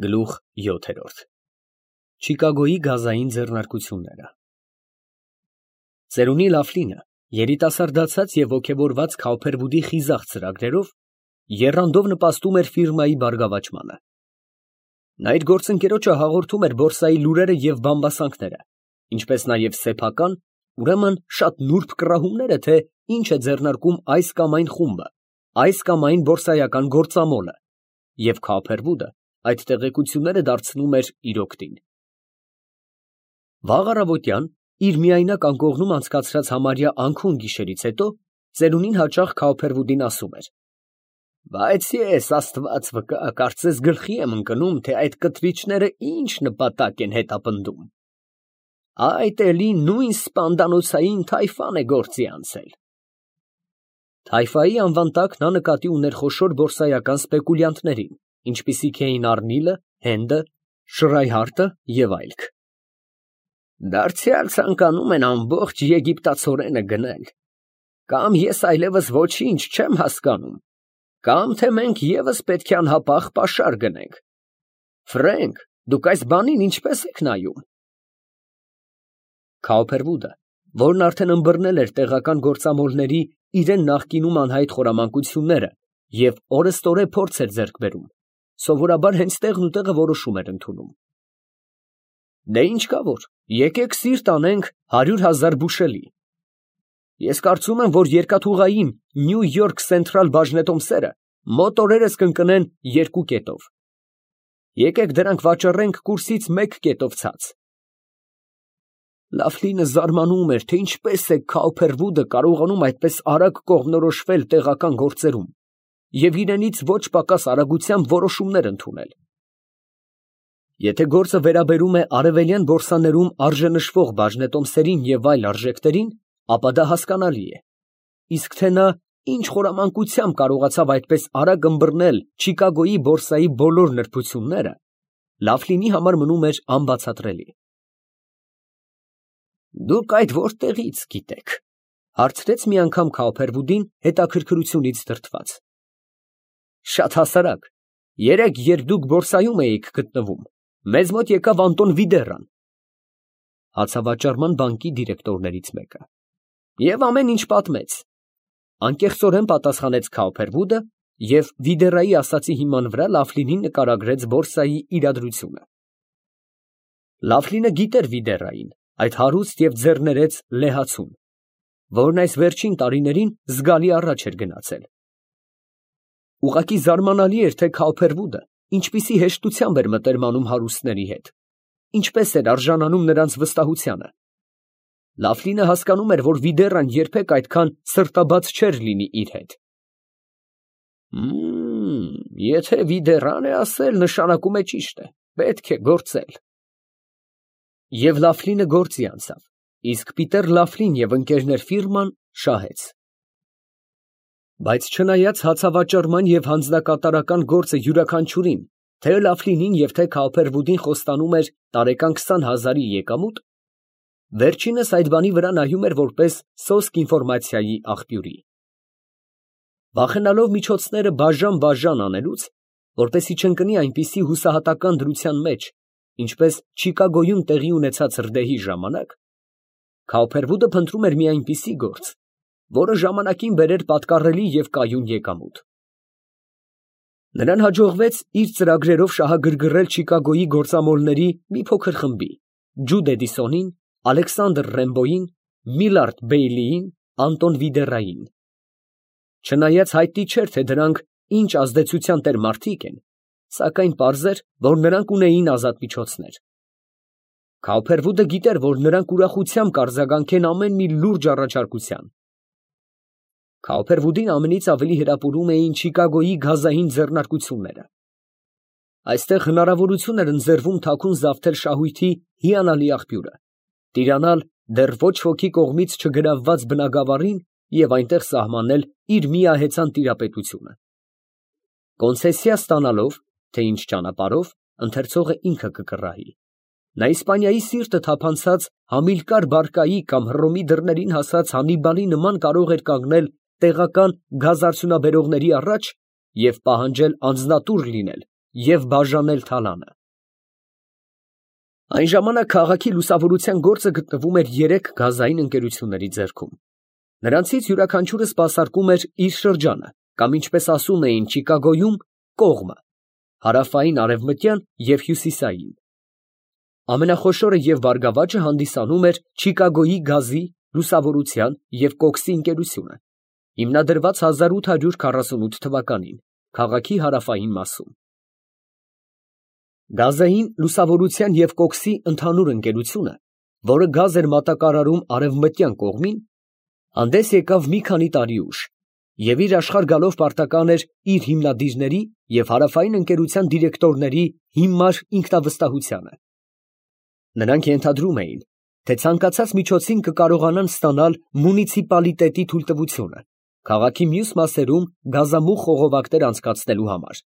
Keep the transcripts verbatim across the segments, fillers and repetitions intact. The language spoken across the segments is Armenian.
Գլուխ յոթ Չիկագոյի գազային ձեռնարկությունները Ծերունի Լավլինը երիտասարդացած և ոգևորված Քավփերվուդի խիզախ ծրագրերով եռանդով նպաստում էր ֆիրմայի բարգավաճմանը։ Նա իր գործընկերոջը հաղորդում էր բորսայի լուրերը և բամբասանքները, ինչպես նաև սեփական, ուրեմն շատ նուրբ կռահումները, թե ինչ է ձեռնարկում այս կամ այն խումբը, այս կամ այն բորսայական գործամոլը, և Քավփերվուդը այդ տեղեկությունները դարձնում էր իր օգտին։ Վաղ առավոտյան, իր միայնակ անկողնում անցկացրած համարյա անքուն գիշերից հետո, ծերունին հաճախ Քավփերվուդին ասում էր. «Բայց ես, Աստված վկա, կարծես գլխի եմ ընկնում, թե այդ կտրիչները ինչ նպատակ են հետապնդում։ Այդ էլի նույն սպանդանոցային թայֆան է գործի անցել»։ Թայֆայի անվան տակ նա նկատի ուներ խոշոր բորսայական սպեկուլյանտներին, ինչպիսիք էին Առնիլը, Հենդը, Շրայհարտը և այլք։ Դարձյալ ցանկանում են ամբողջ եգիպտացորենը գնել։ Կամ ես այլևս ոչինչ չեմ հասկանում, կամ թե մենք ևս պետք է անհապաղ պաշար գնենք։ Ֆրենկ, դուք այս բանին ինչպես եք նայում։ Քավփերվուդը, որն արդեն ըմբռնել էր տեղական գործամոլների իրան նախկինում անհայտ խորամանկությունները և օրըստօրե փորձ էր ձեռք բերում, սովորաբար հենց տեղնուտեղը որոշում էր ընդունում։ Դե ինչ կա որ, եկեք սիրտ անենք հարյուր հազար բուշելի։ Ես կարծում եմ, որ երկաթուղային Նյու Յորք Սենթրալ բաժնետոմսերը մոտ օրերս կընկնեն երկու կետով։ Եկեք դրանք վաճառենք կուրսից մեկ կետով ցած։ Լավլինը զարմանում էր, թե ինչպես է Քավփերվուդը կարողանում այդպես արագ կողմնորոշվել տեղական գործերում և իրենից ոչ պակաս արագությամբ որոշումներ ընդունել։ Եթե գործը վերաբերում է արևելյան բորսաներում արժենշվող բաժնետոմսերին և այլ արժեքներին, ապա դա հասկանալի է, իսկ թե նա ինչ խորամանկությամբ կարողացավ այդպես արագ ըմբռնել Չիկագոյի բորսայի բոլոր նրբությունները, Լավլինի համար մնում էր անբացատրելի։ Դուք այդ որտեղի՞ց գիտեք, ֊ հարցրեց մի անգամ Քավփերվուդին հետաքրքրությունից դրդված։ Շատ հասարակ, երեկ, երբ դուք բորսայում էիք գտնվում, մեզ մոտ եկավ Անտոն Վիդեռան, հացավաճառման բանկի դիրեկտորներից մեկը, և ամեն ինչ պատմեց։ Անկեղծորեն պատասխանեց Քավփերվուդը և Վիդեռայի ասածի հիման վրա Լավլինին նկարագրեց բորսայի իրադրությունը։ Լավլինը գիտեր Վիդեռային, այդ հարուստ և ձեռներեց լեհացուն, որն այս վերջին տարիներին զգալի առաջ էր գնացել։ Ուղղակի զարմանալի էր, թե Քավփերվուդը ինչպիսի հեշտությամբ էր մտերմանում հարուստների հետ, ինչպես էր արժանանում նրանց վստահությանը։ Լավլինը հասկանում էր, որ Վիդեռան երբեք այդքան սրտաբաց չէր լինի իր հետ։ Մմ, եթե Վիդեռան է ասել, նշանակում է ճիշտ է, պետք է գործել։ Եվ Լավլինը գործի անցավ, իսկ Պիտեր Լավլին և ընկերներ ֆիրման շահեց։ Բայց չնայած հացավաճառման և հանձնակատարական գործը յուրաքանչյուրին, թե Լավլինին և թե Քավփերվուդին խոստանում էր տարեկան քսան հազարի եկամուտ, վերջինս այդ բանի վրա նայում էր որպես սոսկ ինֆորմացիայի աղբյուրի։ Վախենալով միջոցները բաժան֊բաժան անելուց, որպեսզի չընկնի այնպիսի հուսահատական դրության մեջ, ինչպես Չիկագոյում տեղի ունեցած հրդեհի ժամանակ, Քավփերվուդը փնտրում էր մի այնպիսի գործ, որը ժամանակին բերեր պատկառելի և կայուն եկամուտ։ Նրան հաջողվեց իր ծրագրերով շահագրգռել Չիկագոյի գործամոլների մի փոքր խմբի՝ Ջուդ Էդիսոնին, Ալեքսանդր Ռեմբոյին, Միլարդ Բեյլիին, Անտոն Վիդեռային։ Չնայած հայտնի չէր, թե դրանք ինչ ազդեցության տեր մարդիկ են, սակայն պարզ էր, որ նրանք ունեին ազատ միջոցներ։ Քավփերվուդը գիտեր, որ նրանք ուրախությամբ կարձագանքեն ամեն մի լուրջ առաջարկության։ Քավփերվուդին ամենից ավելի հրապուրում էին Չիկագոյի գազային ձեռնարկությունները։ Այստեղ հնարավորություն էր ընձեռվում թաքուն զավթել շահույթի հիանալի աղբյուրը, տիրանալ դեռ ոչ ոքի կողմից չգրավված բնագավառին և այնտեղ սահմանել իր միահեծան տիրապետությունը։ Կոնցեսիա ստանալով, թե ինչ ճանապարհով, ընթերցողը ինքը կկռահի, նա Իսպանիայի սիրտը թափանցած Համիլկար Բարկայի կամ Հռոմի դռներին հասած Հաննիբալի նման կարող էր կանգնել տեղական գազարդյունաբերողների առաջ և պահանջել անձնատուր լինել և բաժանել թալանը։ Այն ժամանակ քաղաքի լուսավորության գործը գտնվում էր երեք գազային ընկերությունների ձեռքում. նրանցից յուրաքանչյուրը սպասարկում էր իր շրջանը, կամ ինչպես ասում էին Չիկագոյում, կողմը, հարավային, արևմտյան և հյուսիսային։ Ամենախոշորը և բարգավաճը հանդիսանում էր Չիկագոյի գազի, լուսավորության և կոքսի ընկերությունը, հիմնադրված հազար ութ հարյուր քառասունութ թվականին, քաղաքի հարավային մասում։ Գազային, լուսավորության և կոքսի ընդհանուր ընկերությունը, որը գազ էր մատակարարում արևմտյան կողմին, հանդես եկավ մի քանի տարի ուշ և իր աշխարհ գալով պարտական էր իր հիմնադիրների և հարավային ընկերության դիրեկտորների հիմար ինքնավստահությանը։ Նրանք ենթադրում էին, թե ցանկացած միջոցին կկարողանան ստանալ մունիցիպալիտետի թույլտվությունը քաղաքի մյուս մասերում գազամուղ խողովակներ անցկացնելու համար։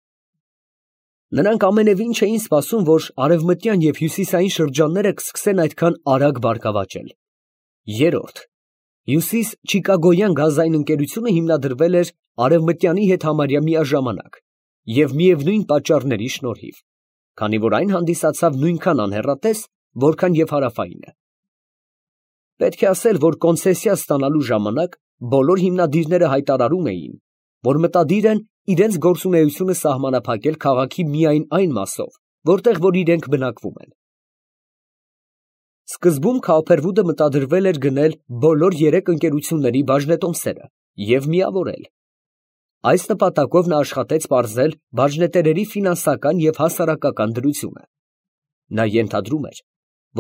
Նրանք ամենևին չէին սպասում, որ արևմտյան և հյուսիսային շրջանները կսկսեն այդքան արագ բարգավաճել։ Երրորդ, հյուսիս Չիկագոյան գազային ընկերությունը հիմնադրվել էր արևմտյանի հետ համարյա միաժամանակ և միևնույն պատճառների շնորհիվ, քանի որ այն հանդիսացավ նույնքան անհեռատես, որքան և հարավայինը։ Պետք է ասել, որ կոնցեսիա ստանալու ժամանակ բոլոր հիմնադիրները հայտարարում էին, որ մտադիր են իրենց գործունեությունը սահմանափակել քաղաքի միայն այն մասով, որտեղ որ իրենք բնակվում են։ Սկզբում Քայոփերվուդը մտադրվել էր գնել բոլոր երեք ընկերությունների բաժնետոմսերը և միավորել։ Այս նպատակով նա աշխատեց պարզել բաժնետերերի ֆինանսական և հասարակական դրությունը։ Նա ենթադրում էր,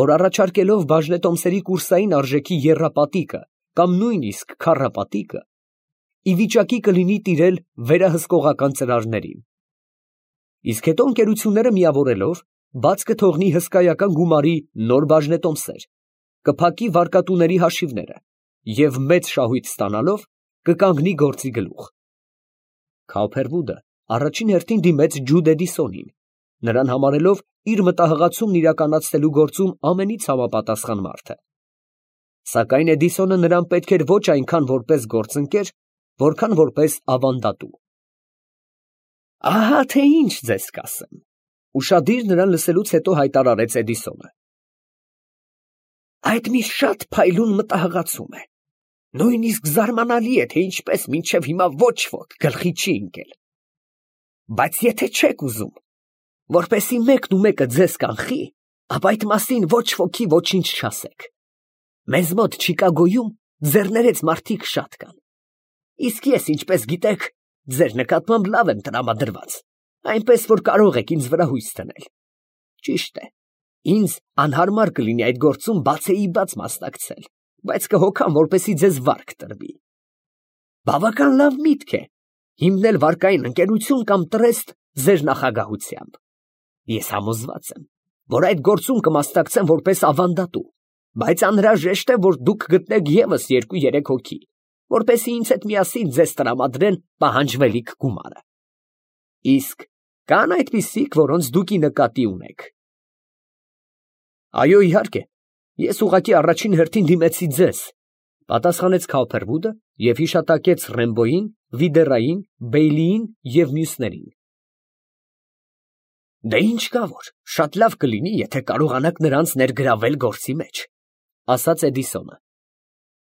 որ առաջարկելով բաժնետոմսերի կուրսային արժեքի եռապատիկը կամ նույնիսկ քառապատիկը, ի վիճակի կլինի տիրել վերահսկողական ծրարներին։ Իսկ հետո ընկերությունները միավորելով բաց կթողնի հսկայական գումարի նոր բաժնետոմսեր, կփակի վարկատուների հաշիվները և մեծ շահույթ ստանալով կկանգնի գործի գլուխ։ Քայոփերվուդը առաջին հերթին դիմեց Ջուդ Էդիսոնին, նրան համարելով իր մտահղացումն իրականացնելու գործում ամենից համապատասխան մարդը։ Սակայն Էդիսոնը նրան պետք էր ոչ այնքան որպես գործընկեր, որքան որպես ավանդատու։ Ահա թե ինչ ձեզ կասեմ, ֊ ուշադիր նրան լսելուց հետո հայտարարեց Էդիսոնը։ Այդ մի շատ փայլուն մտահղացում է։ Նույնիսկ զարմանալի է, թե ինչպես մինչև հիմա ոչ ոք գլխի չի ընկել։ Բայց եթե չեք ուզում, որպեսզի մեկն ու մեկը ձեզ կանխի, ապա այդ մասին ոչ ոքի ոչինչ չասեք։ Մեզ մոտ Չիկագոյում ձեռներեց մարդիկ շատ կան։ Իսկ ես, ինչպես գիտեք, ձեր նկատմամբ լավ եմ տրամադրված, այնպես որ կարող եք ինձ վրա հույս դնել։ Ճիշտ է, ինձ անհարմար կլինի այդ գործում բացեիբաց մասնակցել, բայց կհոգամ, որպեսզի ձեզ վարկ տրվի։ Բավական լավ միտք է հիմնել վարկային ընկերություն կամ տրեստ ձեր նախագահությամբ։ Ես համոզված եմ, որ այդ գործում կմասնակցեմ որպես ավանդատու, բայց անհրաժեշտ է, որ դուք գտնեք ևս երկու֊երեք հոգի, որպեսզի ինձ հետ միասին ձեզ տրամադրեն պահանջվելիք գումարը։ Իսկ կան այդպիսիք, որոնց դուք ի նկատի ունեք։ Այո, իհարկե, ես ուղղակի առաջին հերթին դիմեցի ձեզ, ֊ պատասխանեց Քայոփերվուդը և հիշատակեց Ռեմբոյին, Վիդերային, Բեյլիին և մյուսներին։ Դե ինչ կա որ, շատ լավ կլինի, եթե կարողանաք նրանց ներգրավել գործի մեջ, ֊ ասաց Էդիսոնը։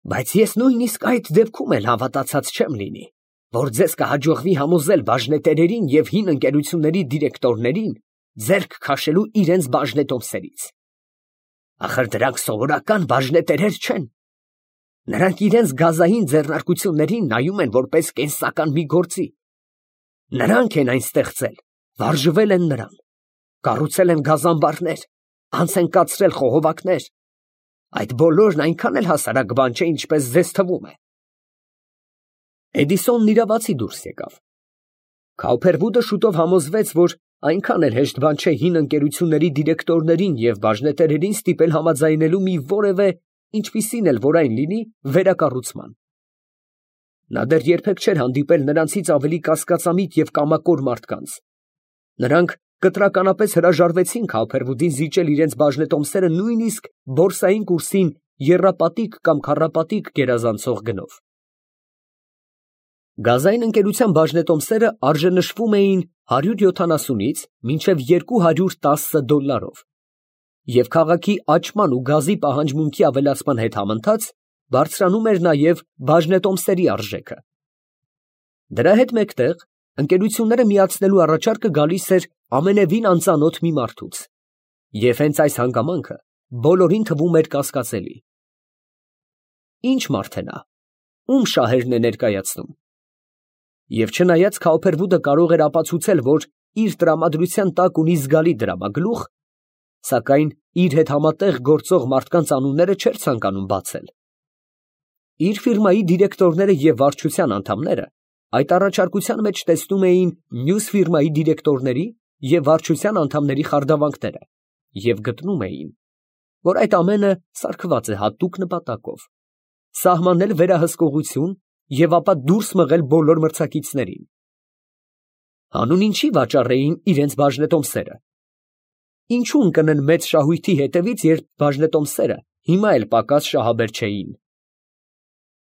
Բայց ես նույնիսկ այդ դեպքում էլ հավատացած չեմ լինի, որ ձեզ կհաջողվի համոզել բաժնետերերին և հին ընկերությունների դիրեկտորներին ձեռք քաշելու իրենց բաժնետոմսերից։ Ախր դրանք սովորական բաժնետերեր չեն։ Նրանք իրենց գազային ձեռնարկություններին նայում են որպես կենսական մի գործի։ Նրանք են այն ստեղծել, վարժվել են նրան, կառուցել են գազանբարներ, անց են կացրել խողովակներ։ Այդ բոլորն այնքան էլ հասարակ բան չէ, ինչպես ձեզ թվում է։ Էդիսոնն իրավացի դուրս եկավ։ Քայոփերվուդը շուտով համոզվեց, որ այնքան էլ հեշտ բան չէ հին ընկերությունների դիրեկտորներին և բաժնետերերին ստիպել համաձայնելու մի որևէ, ինչպիսին էլ որ այն լինի, վերակառուցման։ Նա դեռ երբեք չէր հանդիպել նրանցից ավելի կասկածամիտ և կամակոր մարդկանց։ Նրանք կտրականապես հրաժարվեցին Քայոփերվուդին զիջել իրենց բաժնետոմսերը նույնիսկ բորսային կուրսին եռապատիկ կամ քառապատիկ գերազանցող գնով։ Գազային ընկերության բաժնետոմսերը արժենշվում էին հարյուր յոթանասունից մինչև երկու հարյուր տասը դոլարով, և քաղաքի աճման ու գազի պահանջմունքի ավելացման հետ համընթաց բարձրանում էր նաև բաժնետոմսերի արժեքը։ Դրա հետ մեկտեղ ընկերությունները միացնելու առաջարկը գալիս էր ամենևին անծանոթ մի մարդուց, և հենց այս հանգամանքը բոլորին թվում էր կասկածելի։ Ի՞նչ մարդ է նա, ում շահերն է ներկայացնում։ Եվ չնայած Քաուփերվուդը կարող էր ապացուցել, որ իր տրամադրության տակ ունի զգալի դրամագլուխ, սակայն իր հետ համատեղ գործող մարդկանց անունները չէր ցանկանում բացել։ Իր ֆիրմայի դիրեկտորները և վարչության անդամները այդ առաջարկության մեջ տեսնում էին մյուս ֆիրմայի դիրեկտորների և վարչության անդամների խարդավանքները և գտնում էին, որ այդ ամենը սարքված է հատուկ նպատակով՝ սահմանել վերահսկողություն և ապա դուրս մղել բոլոր մրցակիցներին։ Հանուն ինչի վաճառեին իրենց բաժնետոմսերը։ Ինչու ընկնեն մեծ շահույթի հետևից, երբ բաժնետոմսերը հիմա էլ պակաս շահաբեր չէին։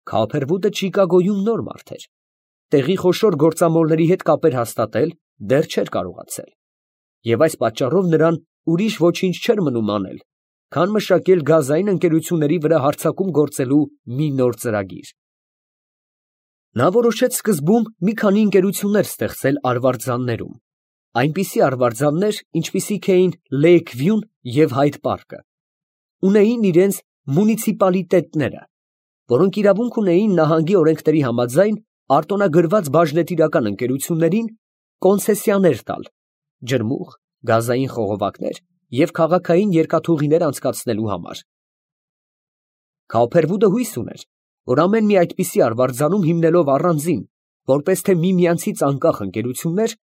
Քաուփերվուդը Չիկագոյում նոր մարդ էր, տեղի խոշոր գործամոլների հետ կապեր հաստատել դեռ չէր կարողացել, և այս պատճառով նրան ուրիշ ոչինչ չէր մնում անել, քան մշակել գազային ընկերությունների վրա հարձակում գործելու մի նոր ծրագիր։ Նա որոշեց սկզբում մի քանի ընկերություններ ստեղծել արվարձաններում, այնպիսի արվարձաններ, ինչպիսիք էին Լեյք Վյուն և Հայդ Պարկը, ունեին իրենց մունիցիպալիտետները, որոնք իրավունք ունեին նահանգի օրենքների համաձայն արտոնագրված բաժնետիրական ընկերություններին կոնցեսիաներ տալ ջրմուղ, գազային խողովակներ և քաղաքային երկաթուղիներ անցկացնելու համար։ Քաուփերվուդը հույս ուներ, որ ամեն մի այդպիսի արվարձանում հիմնելով առանձին, որպես թե միմյանցից անկախ ընկերություններ,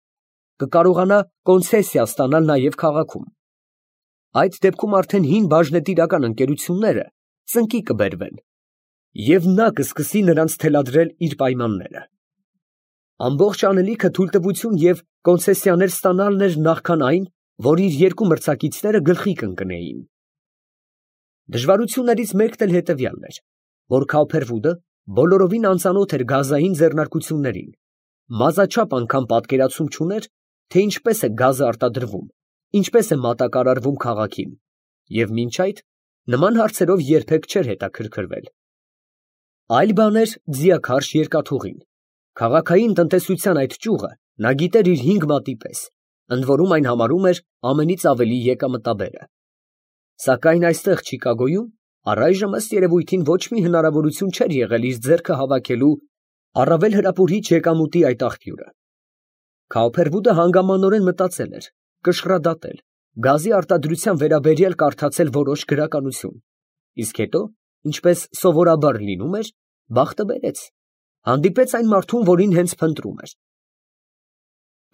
կկարողանա կոնցեսիա ստանալ նաև քաղաքում։ Այդ դեպքում արդեն հին բաժնետիրական ընկերությունները ծնկի կբերվեն, և նա կսկսի նրանց թելադրել իր պայմանները։ Ամբողջ անելիքը թույլտվություն և կոնցեսիաներ ստանալն էր նախքան այն, որ իր երկու մրցակիցները գլխի կընկնեին։ Դժվարություններից մեկն էլ հետևյալն էր, որ Քաուփերվուդը բոլորովին անծանոթ էր գազային ձեռնարկություններին, մազաչափ անգամ պատկերացում չուներ, թե ինչպես է գազը արտադրվում, ինչպես է մատակարարվում քաղաքին, և մինչ այդ նման հարցերով երբեք չէր հետաքրքրվել։ Այլ բան էր ձիաքարշ երկաթուղին, քաղաքային տնտեսության այդ ճյուղը նա գիտեր իր հինգ մատի պես, ընդ որում այն համարում էր ամենից ավելի եկամտաբերը։ Սակայն այստեղ Չիկագոյում առայժմ ըստ երևույթին ոչ մի հնարավորություն չէր եղել իր ձեռքը հավաքելու առավել հրապուրիչ եկամուտի այդ աղբյուրը։ Քաուփերվուդը հանգամանորեն մտածել էր, կշռադատել, գազի արտադրության վերաբերյալ կարդացել որոշ գրականություն, իսկ հետո, ինչպես սովորաբար լինում էր, բախտը բերեց, հանդիպեց այն մարդուն, որին հենց փնտրում էր։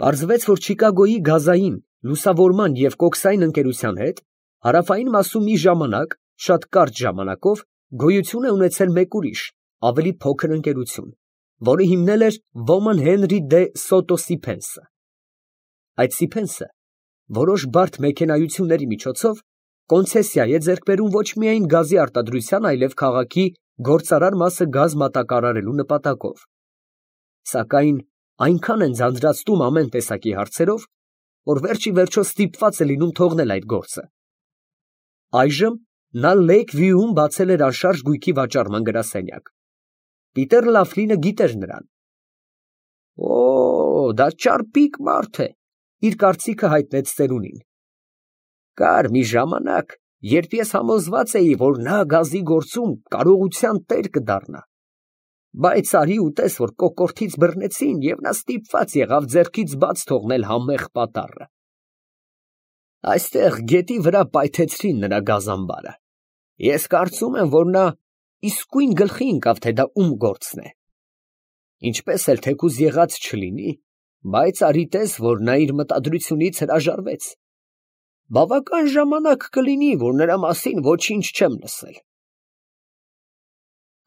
Պարզվեց, որ Չիկագոյի գազային, լուսավորման և կոքսային ընկերության հետ հարավային մասում մի ժամանակ, շատ կարճ ժամանակով, գոյություն է ունեցել մեկ ուրիշ, ավելի փոքր ընկերություն, որը հիմնել էր ոմն Հենրի դե Սոտո Սիփենսը։ Այդ Սիփենսը որոշ բարդ մեքենայությունների միջոցով կոնցեսիա է ձեռք բերում ոչ միայն գազի արտադրության, այլև քաղաքի գործարար մասը գազ մատակարարելու նպատակով։ Սակայն այնքան են ձանձրացնում ամեն տեսակի հարցերով, որ վերջ ի վերջո ստիպված է լինում թողնել այդ գործը։ Այժմ նա Լեյք Վյուում բացել էր անշարժ գույքի վաճառման գրասենյակ։ Պիտեր Լաֆլինը գիտեր նրան։ «Օ, դա ճարպիկ մարդ է», իր կարծիքը հայտնեց ծերունին։ «Կար մի ժամանակ, երբ ես համոզված էի, որ նա գազի գործում կարողության տեր կդառնա, բայց արի ու տես, որ կոկորդից բռնեցին, և նա ստիպված եղավ ձեռքից բաց թողնել համեղ պատառը։ Այստեղ գետի վրա պայթեցրին նրա գազամբարը։ Ես կարծում եմ, որ նա իսկույն գլխի ընկավ, թե դա ում գործն է։ Ինչպես էլ թեկուզ եղած չլինի, բայց արի տես, որ նա իր մտադրությունից հրաժարվեց։ Բավական ժամանակ կլինի, որ նրա մասին ոչինչ չեմ լսել»։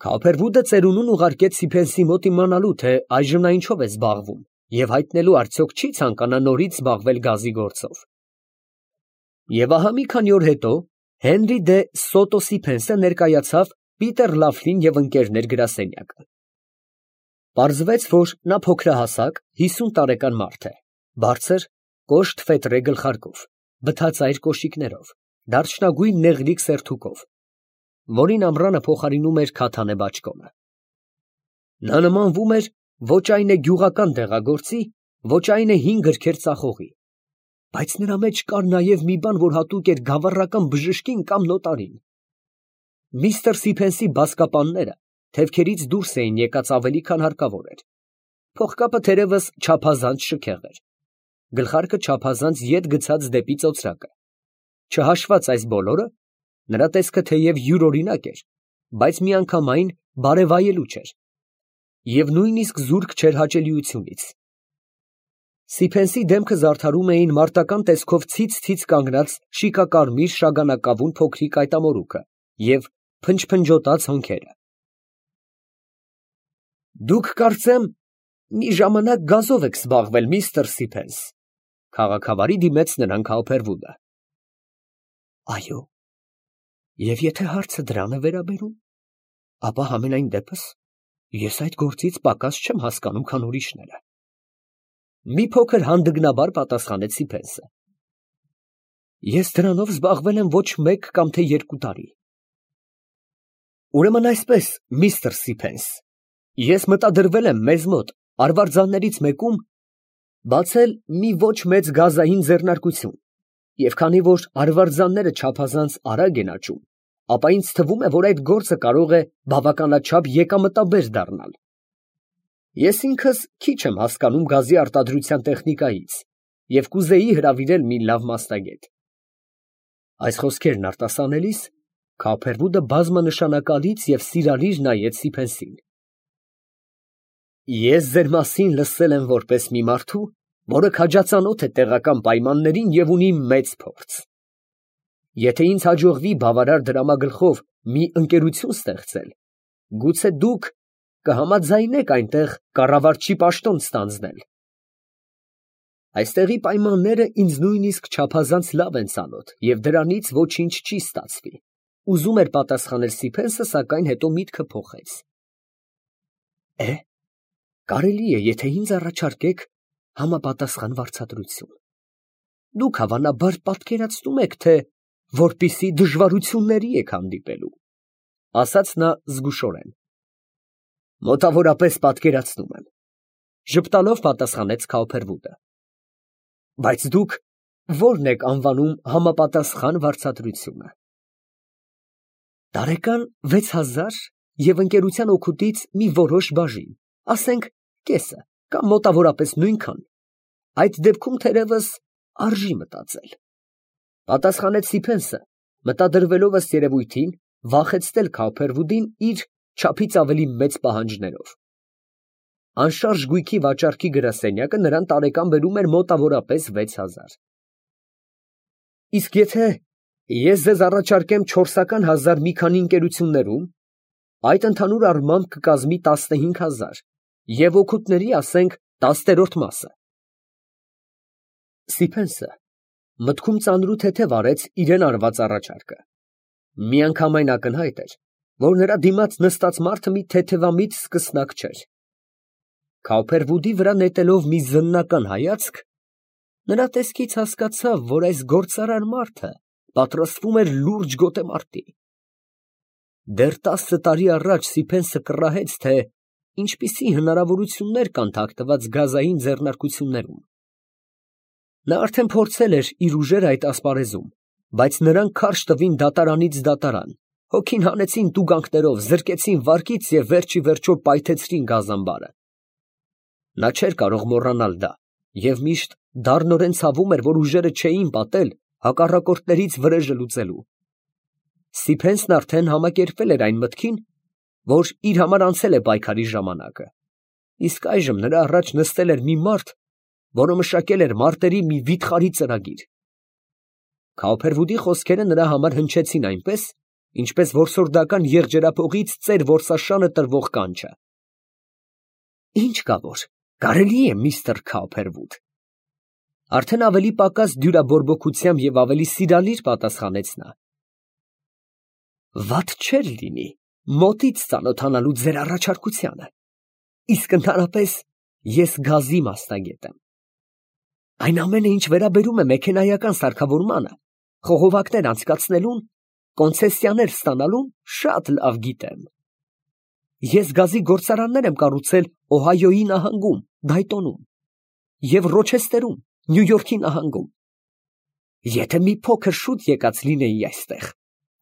Քաուփերվուդը ծերունուն ուղարկեց Սիփենսի մոտ իմանալու, թե այժմ նա ինչով է զբաղվում, և հայտնելու արդյոք չի ցանկանա նորից զբաղվել գազի գործով։ Եվ ահա մի քանի օր հետո Հենրի դե Սոտո Սիփենսը ներկայացավ Պիտեր Լաֆլին և ընկերներ գրասենյակը։ Պարզվեց, որ նա փոքրահասակ, հիսուն տարեկան մարդ է, բարձր, կոշտ ֆետրե գլխարկով, բթածայր կոշիկներով, դարչնագույն նեղլիկ սերթուկով, որին ամռանը փոխարինում էր քաթանե բաճկոնը։ Նա նմանվում էր ոչ այն է գյուղական դեղագործի, ոչ այն է հին գրքեր ծախողի, բայց նրա մեջ կար նաև մի բան, որ հատուկ էր գավառական բժշկին կամ նոտարին։ Միստր Սիփենսի բազկապանները թևքերից դուրս էին եկած ավելի, քան հարկավոր էր։ Փողկապը թերևս չափազանց շքեղ էր, գլխարկը չափազանց ետ գցած դեպի ծոծրակը։ Չհաշված այս բոլորը, նրա տեսքը թեև յուրօրինակ էր, բայց միանգամայն բարևայելու չէր, և նույնիսկ զուրկ չէր հաճելիությունից։ Սիփենսի դեմքը զարդարում էին մարտական տեսքով ցից֊ցից կանգնած շիկակարմիր շագանակավուն փոքրիկ այտամորուքը և փնջփնջոտած հոնքերը։ Դուք, կարծեմ, մի ժամանակ գազով եք զբաղվել, միստր Սիփենս, ֊ քաղաքավարի դիմեց նրան Քաուփերվուդը։ Այո, և եթե հարցը դրան է վերաբերում, ապա համենայն դեպս ես այդ գործից պակաս չեմ հասկանում, քան ուրիշները։ Մի փոքր հանդգնաբար պատասխանեց Սիփենսը։ Ես դրանով զբաղվել եմ ոչ մեկ կամ թե երկու տարի։ Ուրեմն այսպես, միստր Սիփենս, ես մտադրվել եմ մեզ մոտ արվարձաններից մեկում բացել մի ոչ մեծ գազային ձեռնարկություն, և քանի որ արվարձանները չափազանց արագ են աճում, ապա ինձ թվում է, որ այդ գործը կարող է բավականաչափ եկամտաբեր դառնալ։ Ես ինքս քիչ եմ հասկանում գազի արտադրության տեխնիկայից և կուզեի հրավիրել մի լավ մասնագետ։ Այս խոսքերն արտասանելիս Քաուփերվուդը բազմանշանակալից և սիրալիր նայեց Սիփենսին։ Ես ձեր մասին լսել եմ որպես մի մարդու, որը քաջածանոթ է տեղական պայմաններին և ունի մեծ փորձ։ Եթե ինձ հաջողվի բավարար դրամագլխով մի ընկերություն ստեղծել, գուցե դուք կհամաձայնեք այնտեղ կառավարչի պաշտոն ստանձնել։ Այստեղի պայմանները ինձ նույնիսկ չափազանց լավ են ծանոթ, և դրանից ոչինչ չի ստացվի, ֊ ուզում էր պատասխանել Սիփենսը, սակայն հետո միտքը փոխեց։ Է, կարելի է, եթե ինձ առաջարկեք համապատասխան վարձատրություն։ Դուք հավանաբար պատկերացնում եք, թե որպիսի դժվարությունների եք հանդիպելու, ֊ ասաց նա զգուշորեն։ Մոտավորապես պատկերացնում եմ, ֊ ժպտալով պատասխանեց Քաուփերվուդը։ Բայց դուք ո՞րն եք անվանում համապատասխան վարձատրությունը։ Տարեկան վեց հազար և ընկերության օգուտից մի որոշ բաժին, ասենք կեսը կամ մոտավորապես նույնքան, այդ դեպքում թերևս արժի մտածել, ֊ պատասխանեց Սիփենսը, մտադրվելով ըստ երևույթին վախեցնել Քաուփերվուդին իր չափից ավելի մեծ պահանջներով։ Անշարժ գույքի վաճառքի գրասենյակը նրան տարեկան բերում էր մոտավորապես վեց հազար։ Իսկ եթե ես ձեզ առաջարկեմ չորսական հազար մի քանի ընկերություններում, այդ ընդհանուր առմամբ կկազմի տասնհինգ հազար և օգուտների, ասենք, տասներորդ մասը։ Սիփենսը մտքում ծանրութեթև արեց իրան արված առաջարկը։ Միանգամայն ակնհայտ էր, որ նրա դիմաց նստած մարդը մի թեթևամիտ սկսնակ չէր։ Քաուփերվուդի վրա նետելով մի զննական հայացք, նրա տեսքից հասկացավ, որ այս գործարար մարդը պատրաստվում էր լուրջ գոտեմարտի։ Դեռ տասը տարի առաջ Սիփենսը կռահեց, թե ինչպիսի հնարավորություններ կան թաքնված գազային ձեռնարկություններում։ Նա արդեն փորձել էր իր ուժերը այդ ասպարեզում, բայց նրան քարշ տվին դատարանից դատարան, հոգին հանեցին տուգանքներով, զրկեցին վարկից և վերջ ի վերջո պայթեցրին գազամբարը։ Նա չէր կարող մոռանալ դա և միշտ դառնորեն ցավում էր, որ ուժերը չէին պատել հակառակորդներից վրեժը լուծելու։ Սիփենսն արդեն համակերպվել էր այն մտքին, որ իր համար անցել է պայքարի ժամանակը, իսկ այժմ նրա առաջ նստել էր մի մարդ, որը մշակել էր մարտերի մի վիթխարի ծրագիր։ Քաուփերվուդի խոսքերը նրա համար հնչեցին այնպես, ինչպես որսորդական եղջերափողից ծեր որսաշանը տրվող կանչը։ Ինչ կա որ, կարելի է, միստր Քաուփերվուդ, արդեն ավելի պակաս դյուրաբորբոքությամբ և ավելի սիրալիր պատասխանեց նա։ Վատ չէր լինի մոտից ծանոթանալու ձեր առաջարկությանը։ իսկ ընդհանրապես ես գազի մասնագետ եմ։ Այն ամենը, ինչ վերաբերում է մեքենայական սարքավորմանը, խողովակներ անցկացնելուն, կոնցեսիաներ ստանալուն, շատ լավ գիտեմ։ Ես գազի գործարաններ եմ կառուցել Օհայոյի նահանգում, Դայտոնում և Ռոչեսթերում, Նյու Յորքի նահանգում։ Եթե մի փոքր շուտ եկած լինեի այստեղ,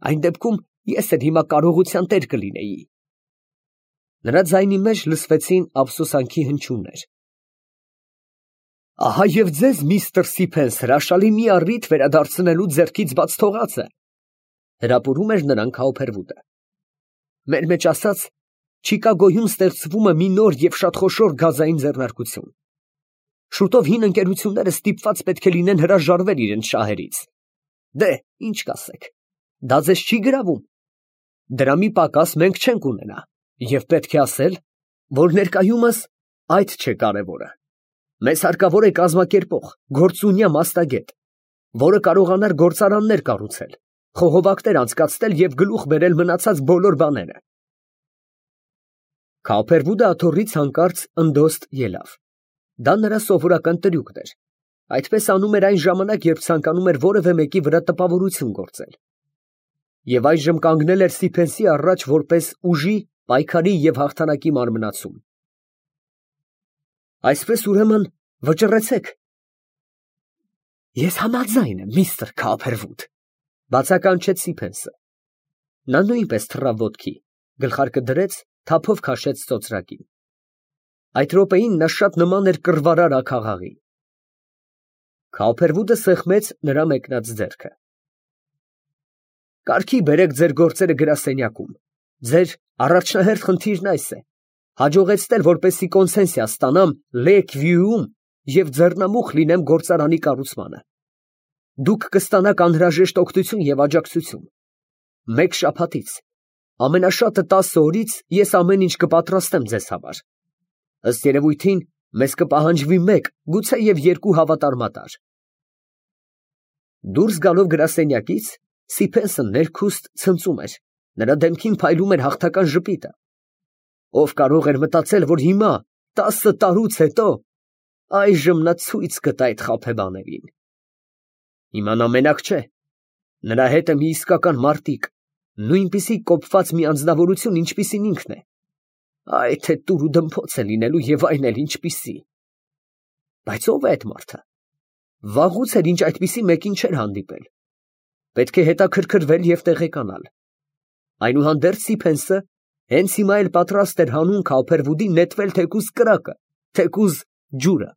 այն դեպքում ես էլ հիմա կարողության տեր կլինեի։ Նրա ձայնի մեջ լսվեցին ափսոսանքի հնչյուններ։ Ահա և ձեզ, միստր Սիփենս, հրաշալի մի առիթ վերադարձնելու ձեռքից բաց թողածը, հրապուրում էր նրան Քաուփերվուդը։ Մեր մեջ ասած, Չիկագոյում ստեղծվում է մի նոր և շատ խոշոր գազային ձեռնարկություն։ Շուտով հին ընկերությունները ստիպված պետք է լինեն հրաժարվել իրենց շահերից։ Դե, ինչ կասեք, դա ձեզ չի գրավում։ Դրա մի պակաս մենք չենք ունենա, և պետք է ասել, որ ներկայումս այդ չէ կարևորը։ Մեզ հարկավոր է կազմակերպող, գործունյա մասնագետ, որը կարողանար գործարաններ կառուցել, խողովակներ անցկացնել և գլուխ բերել մնացած բոլոր բաները։ Քաուփերվուդը աթոռից հանկարծ ընդոստ ելավ։ Դա նրա սովորական տրյուկն էր։ Այդպես անում էր այն ժամանակ, երբ ցանկանում էր որևէ մեկի վրա տպավորություն գործել։ Եվ այժմ կանգնել էր Սիփենսի առաջ որպես ուժի, պայքարի և հաղթանակի մարմնացում։ Այսպես, ուրեմն, վճռեցեք։ Ես համաձայն եմ, միստր Քաուփերվուդ, բացականչեց Սիփենսը։ Նա նույնպես թռավ ոտքի, գլխարկը դրեց, թափով քաշեց ծոծրակին։ Այդ րոպեին նա շատ նման էր կռվարար աքաղաղի։ Քաուփերվուդը սեղմեց նրա մեկնած ձեռքը։ Կարգի բերեք ձեր գործերը գրասենյակում։ Ձեր առաջնահերթ խնդիրն այս է. հաջողեցնել, որպեսզի կոնցեսիա ստանամ Լեյք Վյուում և ձեռնամուխ լինեմ գործարանի կառուցմանը։ Դուք կստանաք անհրաժեշտ օգնություն և աջակցություն։ Մեկ շաբաթից, ամենաշատը տասը օրից ես ամեն ինչ կպատրաստեմ ձեզ համար։ Ըստ երևույթին, մեզ կպահանջվի մեկ, գուցեև երկու հավատարմատար։ Դուրս գալով գրասենյակից, Սիփենսը ներքուստ ցնծում էր, նրա դեմքին փայլում էր հաղթական ժպիտը։ Ով կարող էր մտածել, որ հիմա, տասը տարուց հետո, այժմ նա ցույց կտա այդ խաբեբաներին։ Հիմա նա մենակ չէ, նրա հետ է մի իսկական մարտիկ, նույնպիսի կոփված մի անձնավորություն, ինչպիսին ինքն է։ Այ թե տուր ու դմփոց է լինելու և այն էլ ինչպիսի։ Բայց ո՞վ է այդ մարդը։ Վաղուց էր, ինչ այդպիսի մեկին չէր հանդիպել։ Պետք է հետաքրքրվել և տեղեկանալ։ Այնուհանդերձ Սիփենսը հենց հիմա էլ պատրաստ էր հանուն Քաուփերվուդի նետվել թեկուզ կրակը, թեկուզ ջուրը։